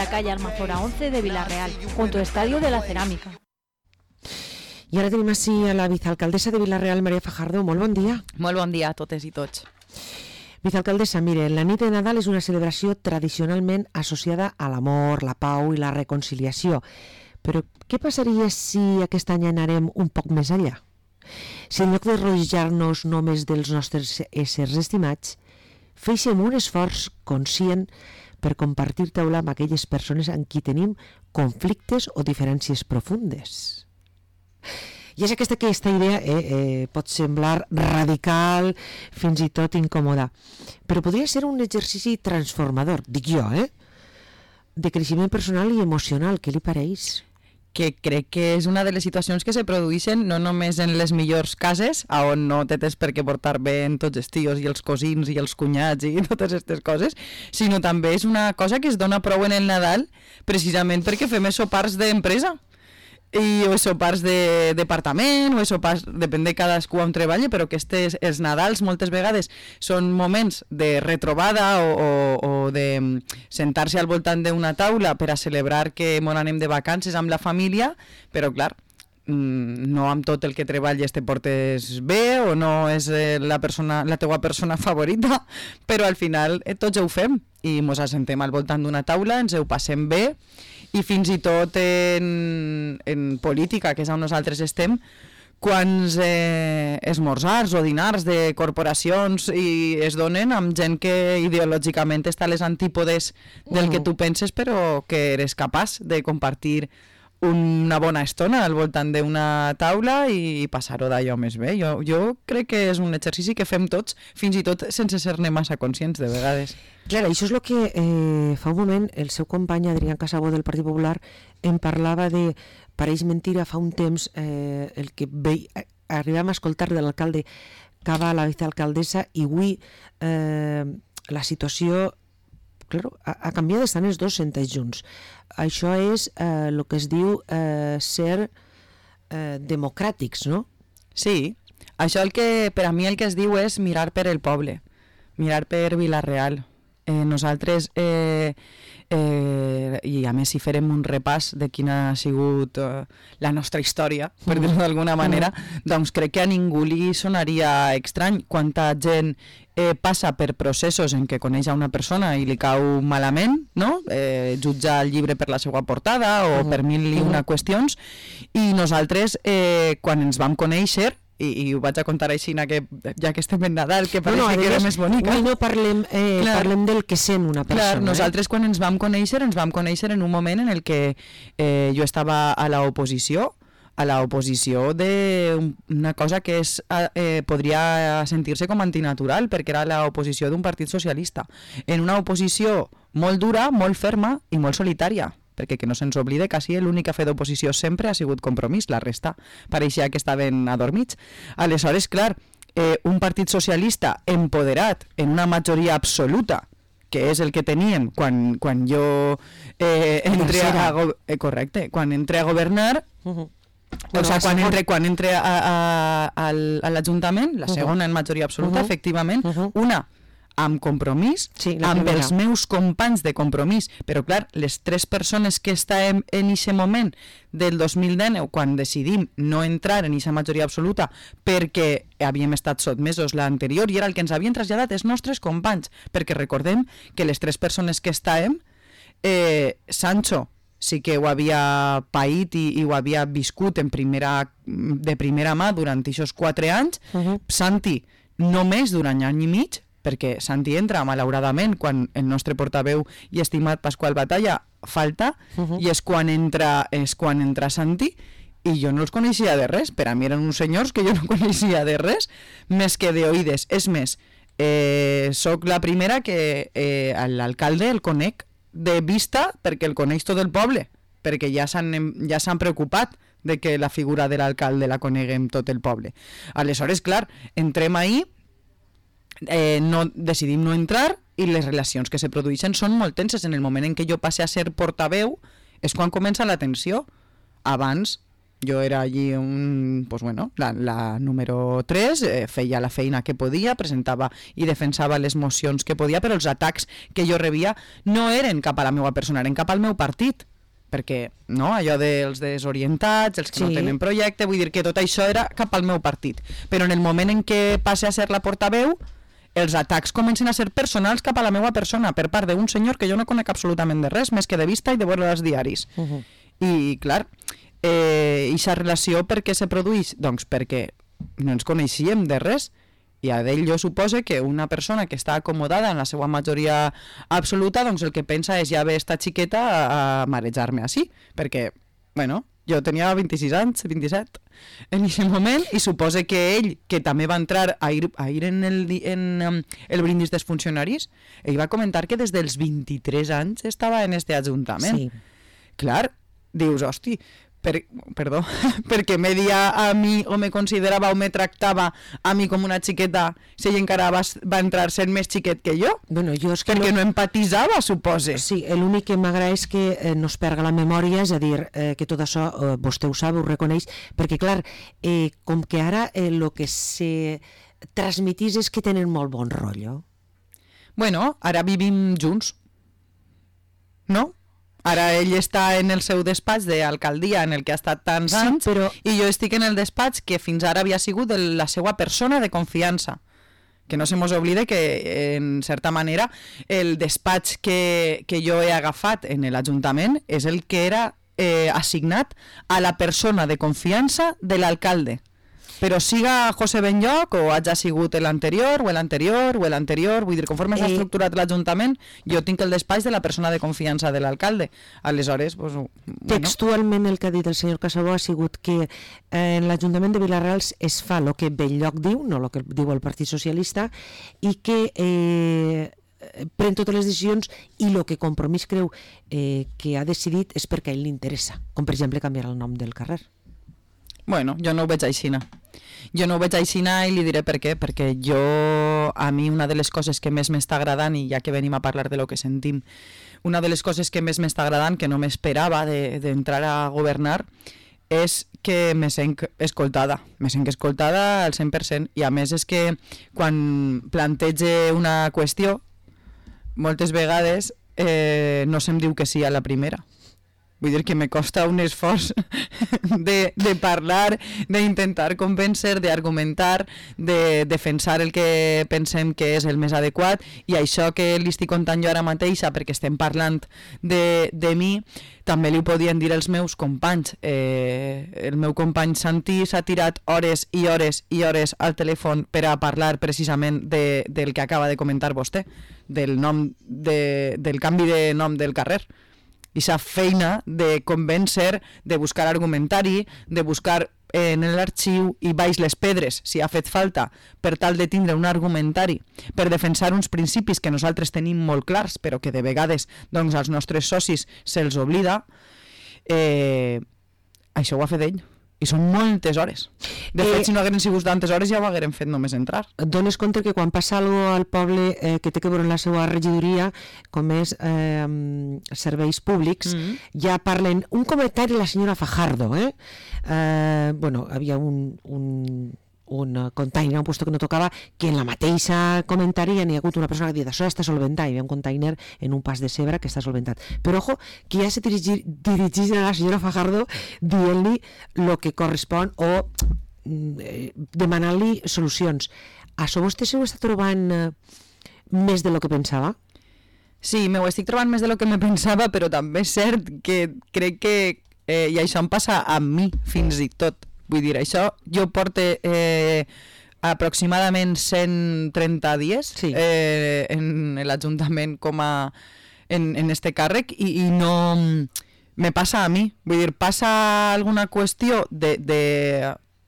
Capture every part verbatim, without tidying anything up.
la calle Almazora once de Vila-real, junto al Estadio de la Cerámica. I ara tenim així a la vicealcaldessa de Vila-real, Maria Fajardo. Molt bon dia. Molt bon dia a totes i tots. Vicealcaldessa, mire, la nit de Nadal és una celebració tradicionalment associada a l'amor, la pau i la reconciliació. Però què passaria si aquest any anarem un poc més enllà? Si en lloc de rodejar-nos només dels nostres éssers estimats, féssim un esforç conscient per compartir taula amb aquelles persones amb qui tenim conflictes o diferències profundes. I és aquesta, aquesta idea eh, eh, pot semblar radical, fins i tot incòmoda, però podria ser un exercici transformador, dic jo, eh? de creixement personal i emocional. Què li pareix? Que crec que és una de les situacions que se produeixen no només en les millors cases, on no te tens per què portar bé en tots els tios i els cosins i els cunyats i totes aquestes coses, sinó també és una cosa que es dona prou en el Nadal precisament perquè fem sopars d'empresa. I o sopars de departament o sopars, depèn de cadascú on treballa, però que estes, els Nadals moltes vegades són moments de retrobada o, o, o de sentar-se al voltant d'una taula per a celebrar que mos anem de vacances amb la família, però clar, no amb tot el que treballes te portes bé o no és la, persona, la teua persona favorita, però al final eh, tots ho fem i mos assentem al voltant d'una taula, ens ho passem bé. I fins i tot en, en política, que és on nosaltres estem, quants eh, esmorzars o dinars de corporacions i es donen amb gent que ideològicament està a les antípodes del que tu penses, però que eres capaç de compartir una bona estona al voltant d'una taula i passar-ho d'allò més bé. Jo, jo crec que és un exercici que fem tots, fins i tot sense ser-ne massa conscients de vegades. Clar, això és el que eh, fa un moment el seu company Adrián Casabó del Partit Popular em parlava de, pareix mentira, fa un temps eh, el que ve, arribem a escoltar de l'alcalde Cava a la vicealcaldessa i avui eh, la situació claro, ha, ha canviat, estan els dos sentats junts. Això és el eh, que es diu eh, ser eh, democràtics, no? Sí, això el que, per a mi el que es diu és mirar per el poble, mirar per Vila-real. Eh, nosaltres, eh, eh, i a més si farem un repàs de quina ha sigut eh, la nostra història, per dir-ho d'alguna manera, doncs crec que a ningú li sonaria estrany quanta gent eh, passa per processos en què coneix a una persona i li cau malament, no? Eh, jutja el llibre per la seva portada o per mil i una qüestions, i nosaltres, eh, quan ens vam conèixer, I, i ho vaig a contar així, que, ja que estem en Nadal, que pareix no, no, que era més bonica. No, no parlem, eh, parlem del que sent una persona. Clar, nosaltres eh? quan ens vam conèixer, ens vam conèixer en un moment en el que eh, jo estava a l'oposició, a l'oposició d'una cosa que és, eh, podria sentir-se com antinatural, perquè era l'oposició d'un partit socialista. En una oposició molt dura, molt ferma i molt solitària. Perquè que no se'ns oblide, quasi l'únic que ha fet d'oposició sempre ha sigut Compromís, la resta pareixia que estaven adormits. Aleshores, clar, eh, un partit socialista empoderat en una majoria absoluta, que és el que tenien quan, quan jo eh, entré a, a, eh, correcte, quan entré a governar, uh-huh. o sigui, quan entré, quan entré a, a, a, a l'Ajuntament, la segona en majoria absoluta, uh-huh. efectivament, uh-huh. una amb Compromís, sí, amb primera. Els meus companys de Compromís, però clar, les tres persones que estàvem en aquest moment del dos mil dinou, quan decidim no entrar en aquesta majoria absoluta perquè havíem estat sotmesos l'anterior i era el que ens havien traslladat els nostres companys, perquè recordem que les tres persones que estàvem, eh, Sancho sí que ho havia paït i, i ho havia viscut en primera, de primera mà durant aquests quatre anys, uh-huh. Santi només durant any i mig, perquè Santi entra, malauradament, quan el nostre portaveu i estimat Pasqual Batalla falta, uh-huh. i és quan entra, és quan entra Santi, i jo no els coneixia de res. Per a mi eren uns senyors que jo no coneixia de res, més que d'oïdes. És més, eh, soc la primera que eh, l'alcalde el conec de vista perquè el coneix tot el poble, perquè ja s'han ja s'han preocupat de que la figura de l'alcalde la coneguem tot el poble. Aleshores, clar, entrem ahí, Eh, no, decidim no entrar i les relacions que se produeixen són molt tenses. En el moment en què jo passe a ser portaveu és quan comença la tensió. Abans Jo era allí un, pues bueno, la, la número tres, eh, feia la feina que podia, presentava i defensava les mocions que podia, però els atacs que jo rebia no eren cap a la meva persona, eren cap al meu partit. Perquè, no, allò dels desorientats, els que sí. no tenen projecte, vull dir que tot això era cap al meu partit. Però en el moment en què passe a ser la portaveu, els atacs comencen a ser personals cap a la meva persona per part d'un senyor que jo no conec absolutament de res, més que de vista i de veure els diaris. Uh-huh. I, clar, eh, aquesta relació per què se produeix? Doncs perquè no ens coneixíem de res i a d'ell jo supose que una persona que està acomodada en la seva majoria absoluta, doncs el que pensa és ja ve esta xiqueta a, a marejar-me així, perquè, bueno, jo tenia vint-i-sis anys, vint-i-set en aquest moment, i supose que ell, que també va entrar a ir, a ir en, el, en um, el brindis dels funcionaris, ell va comentar que des dels vint-i-tres anys estava en este ajuntament. Sí. Clar, dius, hosti, per, perdó, perquè me dia a mi o me considerava o me tractava a mi com una xiqueta si ell encara va, va entrar sent més xiquet que jo? Bueno, jo és que perquè no... no empatitzava, supose. Sí, l'únic que m'agrada és que eh, no es perga la memòria, és a dir, eh, que tot això eh, vostè ho sap, ho reconeix, perquè clar, eh, com que ara el eh, que se transmitís és que tenen molt bon rotllo. Bueno, ara vivim junts, no? Ara ell està en el seu despatx d'alcaldia en el que ha estat tants sí, anys però... i jo estic en el despatx que fins ara havia sigut de la seva persona de confiança. Que no se mos oblide que, en certa manera, el despatx que, que jo he agafat en l'Ajuntament és el que era eh, assignat a la persona de confiança de l'alcalde. Però siga José Benlloc o hagi sigut l'anterior o l'anterior o l'anterior, vull dir, conforme s'ha estructurat l'Ajuntament, jo tinc el despatx de la persona de confiança de l'alcalde. Aleshores, pues, bueno. Textualment el que ha dit el senyor Casabó ha sigut que eh, en l'Ajuntament de Vila-real es fa el que Benlloc diu, no el que diu el Partit Socialista, i que eh, pren totes les decisions i el que Compromís creu eh, que ha decidit és perquè a ell li interessa, com per exemple canviar el nom del carrer. Bueno, jo no ho veig aixina. Jo no ho veig aixina i li diré per què. Perquè jo, a mi, una de les coses que més m'està agradant, i ja que venim a parlar de lo que sentim, una de les coses que més m'està agradant, que no m'esperava d'entrar a governar, és que me sent escoltada. Me sent escoltada al cent per cent. I a més és que quan plantege una qüestió, moltes vegades eh, no se'm diu que sí a la primera. Vull dir que me costa un esforç de, de parlar, d'intentar convèncer, d'argumentar, de defensar el que pensem que és el més adequat, i això que li estic contant jo ara mateixa, perquè estem parlant de, de mi, també li ho podien dir els meus companys. Eh, el meu company Santi s'ha tirat hores i hores i hores al telèfon per a parlar precisament de, del que acaba de comentar vostè, del, nom de, del canvi de nom del carrer. I sa feina de convèncer, de buscar argumentari, de buscar eh, en l'arxiu i baix les pedres, si ha fet falta, per tal de tindre un argumentari, per defensar uns principis que nosaltres tenim molt clars, però que de vegades doncs, als nostres socis se'ls oblida, eh, això ho ha fet ell. I són moltes hores. De fet, eh, si no hagueren sigut tantes hores ja ho hagueren fet només entrar. Et dones compte que quan passa alguna cosa al poble eh, que té que veure en la seva regidoria, com és eh, serveis públics, mm-hmm. ja parlen... Un comentari de la senyora Fajardo, eh? eh bueno, havia un... un un container, un puesto que no tocava, que en la mateixa comentari ja n'hi ha hagut una persona que ha dit això està solventat, hi havia un container en un pas de Cebre que està solventat. Però ojo, que ja se dirigís, dirigís a la senyora Fajardo dient-li el que correspon o eh, demanant-li solucions. Això vostè s'ho està trobant eh, més de lo que pensava? Sí, m'ho estic trobant més de lo que me pensava, però també és cert que crec que, eh, i això em passa a mi fins i tot, vull dir, això, jo porte eh, aproximadament cent trenta dies sí. eh, en l'Ajuntament com a en, en este càrrec i, i no me passa a mi, vull dir, passa alguna qüestió de, de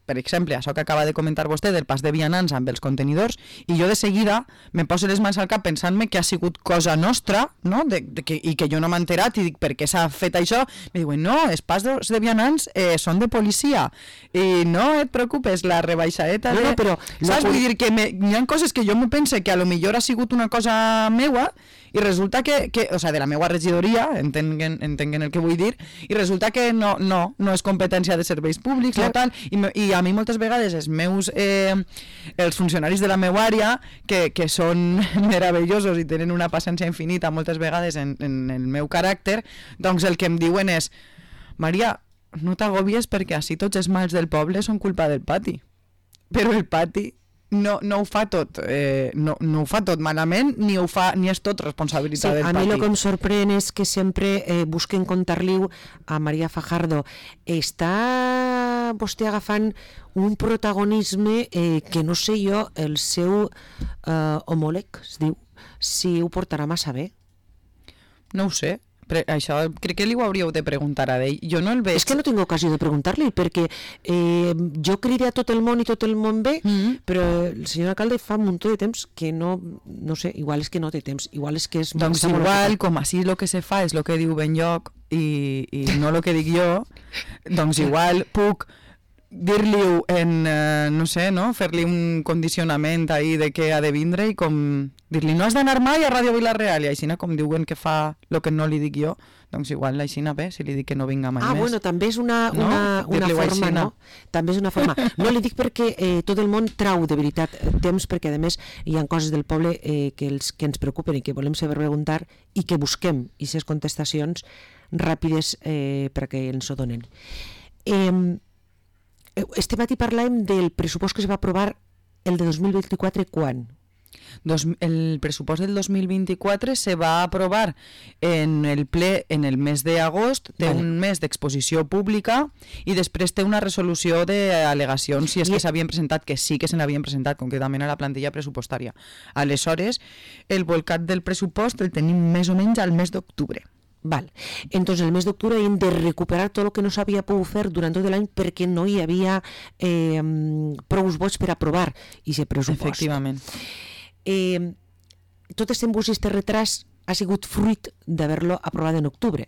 per exemple, això que acaba de comentar vostè del pas de vianants amb els contenidors, i jo de seguida me poso les mans al cap pensant-me que ha sigut cosa nostra, no? de, de que, i que jo no m'he enterat, i dic, per què s'ha fet això? Me diuen, no, els pas de, de vianants eh, són de policia, i no et preocupes, la rebaixadeta de... No, no, però... Saps? Vull dir que me, hi ha coses que jo me pense que a lo millor ha sigut una cosa meua, I resulta que, que o sigui, de la meva regidoria, entenguen, entenguen el que vull dir, i resulta que no, no, no és competència de serveis públics, no tal, i, i a mi moltes vegades els meus, eh, els funcionaris de la meva àrea, que, que són meravellosos i tenen una paciència infinita moltes vegades en, en el meu caràcter, doncs el que em diuen és: Maria, no t'agobies perquè així tots els mals del poble són culpa del pati. Però el pati no, no ho fa tot, eh, no, no ho fa tot malament, ni ho fa, ni és tot responsabilitat sí, del pati. A mi pati. el que em sorprèn és que sempre eh, busquen contar-li a Maria Fajardo. Està vostè agafant un protagonisme eh, que no sé jo, el seu eh, homòleg, es diu, si ho portarà massa bé. No ho sé. Però això crec que li ho hauríeu de preguntar a ell. Jo no el veig... És que no tinc ocasió de preguntar-li, perquè eh, jo crida a tot el món i tot el món bé, mm-hmm. però el senyor alcalde fa un munt de temps que no, no sé, igual és que no té temps, igual és que és... Doncs igual, com així el que se fa és el que diu Benlloc i, i no el que dic jo, doncs igual puc dir-li-ho en, eh, no sé, no? Fer-li un condicionament ahí de què ha de vindre i com dir-li no has d'anar mai a Ràdio Vila-real i aixina com diuen que fa el que no li dic jo, doncs igual aixina bé, si li dic que no vinga mai ah, més. Ah, bueno, també és una, no? una, una forma, aixina. no? També és una forma. No li dic perquè eh, tot el món trau de veritat temps, perquè a més hi ha coses del poble eh, que, els, que ens preocupen i que volem saber preguntar i que busquem aquestes contestacions ràpides eh, perquè ens ho donen. Eh, Este matí parlàvem del pressupost que es va aprovar el de dos mil vint-i-quatre quan? Dos, el pressupost del dos mil vint-i-quatre se va aprovar en el ple en el mes d'agost, té vale. un mes d'exposició pública i després té una resolució d'al·legacions si és I... que s'havien presentat, que sí que se n'havien presentat concretament a la plantilla pressupostària. Aleshores, el volcat del pressupost el tenim més o menys al mes d'octubre. Val. Entonces, el mes d'octubre hem de recuperar tot el que no s'havia pogut fer durant tot l'any perquè no hi havia eh, prou vots per aprovar aquest pressupost. Efectivament. Eh, tot aquest embús i aquest retras ha sigut fruit d'haver-lo aprovat en octubre.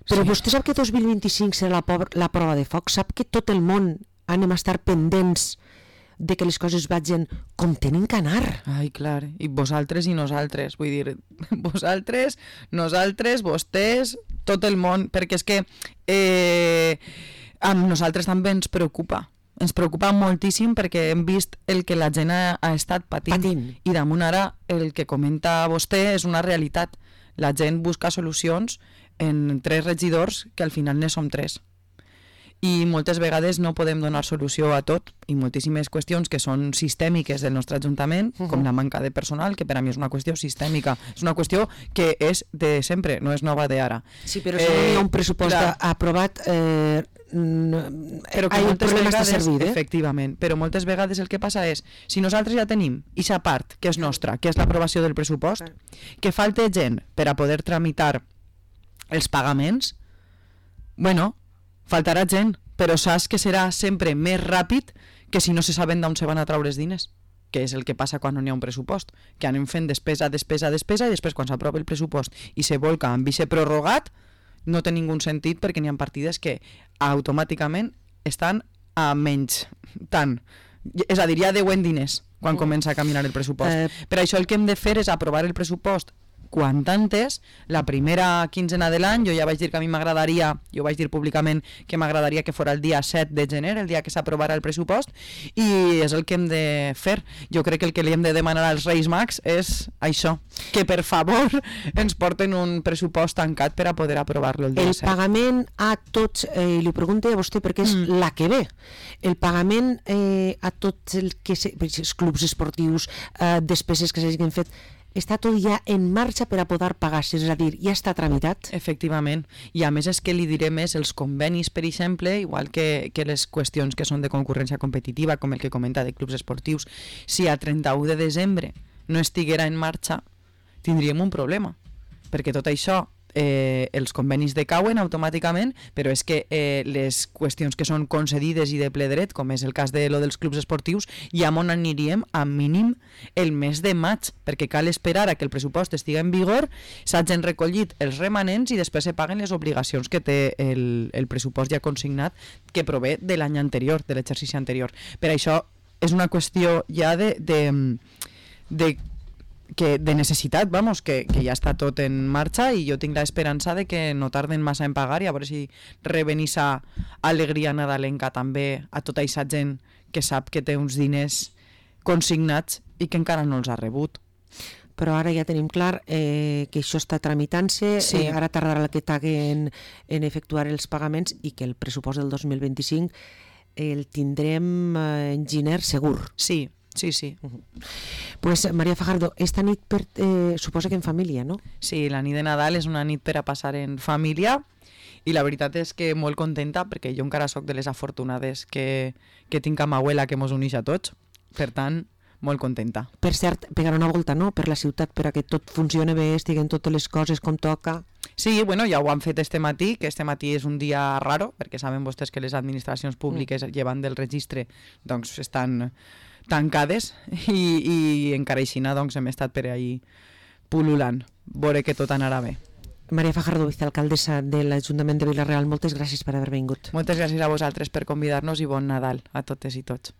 Però sí. Vostè sap que dos mil vint-i-cinc serà la, la prova de foc? Sap que tot el món anem a estar pendents de que les coses vagin com tenen que anar. Ai, clar, i vosaltres i nosaltres, vull dir, vosaltres, nosaltres, vostès, tot el món, perquè és que eh, a nosaltres també ens preocupa, ens preocupa moltíssim perquè hem vist el que la gent ha, ha estat patint, patint, i damunt ara el que comenta vostè és una realitat, la gent busca solucions en tres regidors que al final ne som tres. I moltes vegades no podem donar solució a tot i moltíssimes qüestions que són sistèmiques del nostre Ajuntament, uh-huh. com la manca de personal, que per a mi és una qüestió sistèmica, és una qüestió que és de sempre, no és nova d'ara. Sí, però si eh, no hi ha un pressupost clar, aprovat, eh, no, però que hay moltes problemes vegades, de servir, eh? Efectivament, però moltes vegades el que passa és, si nosaltres ja tenim aquesta part que és nostra, que és l'aprovació del pressupost, que falta gent per a poder tramitar els pagaments, bueno, faltarà gent, però saps que serà sempre més ràpid que si no se saben d'on se van a traure els diners, que és el que passa quan no hi ha un pressupost, que anem fent despesa, despesa, despesa, i després quan s'aprova el pressupost i se volca amb vice prorrogat, no té ningú sentit perquè n'hi ha partides que automàticament estan a menys tant. És a dir, hi ha deu en diners quan comença a caminar el pressupost. Eh... Per això el que hem de fer és aprovar el pressupost quan antes, la primera quinzena de l'any. Jo ja vaig dir que a mi m'agradaria, jo vaig dir públicament que m'agradaria que fos el dia set de gener, el dia que s'aprovarà el pressupost, i és el que hem de fer. Jo crec que el que li hem de demanar als Reis Mags és això, que per favor ens porten un pressupost tancat per a poder aprovar-lo el dia el set. El pagament a tots, eh, li pregunto a vostè perquè és mm. la que ve, el pagament eh, a tots el que se, els clubs esportius, eh, despeses que s'hagin fet, està tot ja en marxa per a poder pagar-se, és a dir, ja està tramitat? Efectivament, i a més és que li diré més, els convenis, per exemple, igual que, que les qüestions que són de concurrència competitiva, com el que comenta de clubs esportius, si a trenta-u de desembre no estiguera en marxa, tindríem un problema, perquè tot això, eh, els convenis decauen automàticament, però és que eh, les qüestions que són concedides i de ple dret, com és el cas de lo dels clubs esportius, ja on aniríem a mínim el mes de maig, perquè cal esperar a que el pressupost estigui en vigor, s'hagin recollit els remanents i després se paguen les obligacions que té el, el pressupost ja consignat que prové de l'any anterior, de l'exercici anterior. Per això és una qüestió ja de, de, de que de necessitat, vamos, que, que ja està tot en marxa i jo tinc l'esperança de que no tarden massa en pagar i a veure si reben esa alegria nadalenca també a tota aquesta gent que sap que té uns diners consignats i que encara no els ha rebut. Però ara ja tenim clar eh, que això està tramitant-se, sí. eh, ara tardarà que taguen en efectuar els pagaments i que el pressupost del dos mil vint-i-cinc el tindrem eh, en gener segur. Sí, sí, sí. Uh -huh. Pues Maria Fajardo, esta nit per, eh, suposa que en família, no? Sí, la nit de Nadal és una nit per a passar en família i la veritat és que molt contenta perquè jo encara sóc de les afortunades que, que tinc amb abuela que mos uneix a tots. Per tant, molt contenta. Per cert, pegar una volta, no?, per la ciutat, per a que tot funcione bé, estiguen totes les coses com toca. Sí, bueno, ja ho han fet este matí, que este matí és un dia raro, perquè saben vostès que les administracions públiques, mm. llevant del registre, doncs estan tancades i, i encara aixina doncs, hem estat per ahí pul·lulant. Veure que tot anarà bé. Maria Fajardo, vicealcaldessa de l'Ajuntament de Vila-real, moltes gràcies per haver vingut. Moltes gràcies a vosaltres per convidar-nos i bon Nadal a totes i tots.